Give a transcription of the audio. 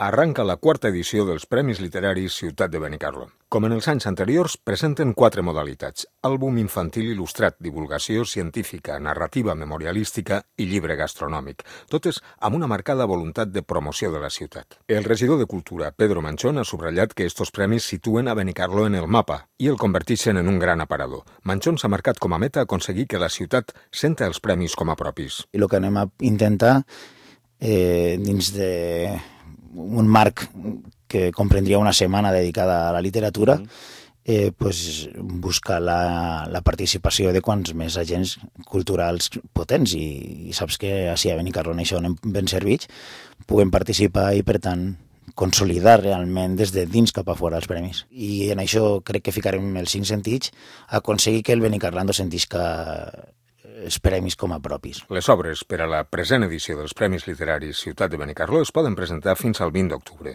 Arranca la quarta edició dels Premis Literaris Ciutat de Benicarló. Com en els anys anteriors, presenten 4 modalitats: àlbum infantil il·lustrat, divulgació científica, narrativa memorialística i llibre gastronòmic, totes amb una marcada voluntat de promoció de la ciutat. El regidor de Cultura, Pedro Manchón, ha subratllat que estos premis situen a Benicarló en el mapa i el converteixen en un gran aparador. Manchón s'ha marcat com a meta aconseguir que la ciutat senta els premis com a propis. I el que anem a intentar, dins de un marc que comprendria una setmana dedicada a la literatura, buscar la participació de quants més agents culturals potents, i saps que així a Benicarló en això anem ben servits, puguem participar i, per tant, consolidar realment des de dins cap a fora els premis. I en això crec que ficarem els 5 sentits a aconseguir que el benicarlando sentisca els premis com a propis. Les obres per a la present edició dels Premis Literaris Ciutat de Benicarló es poden presentar fins al 20 d'octubre.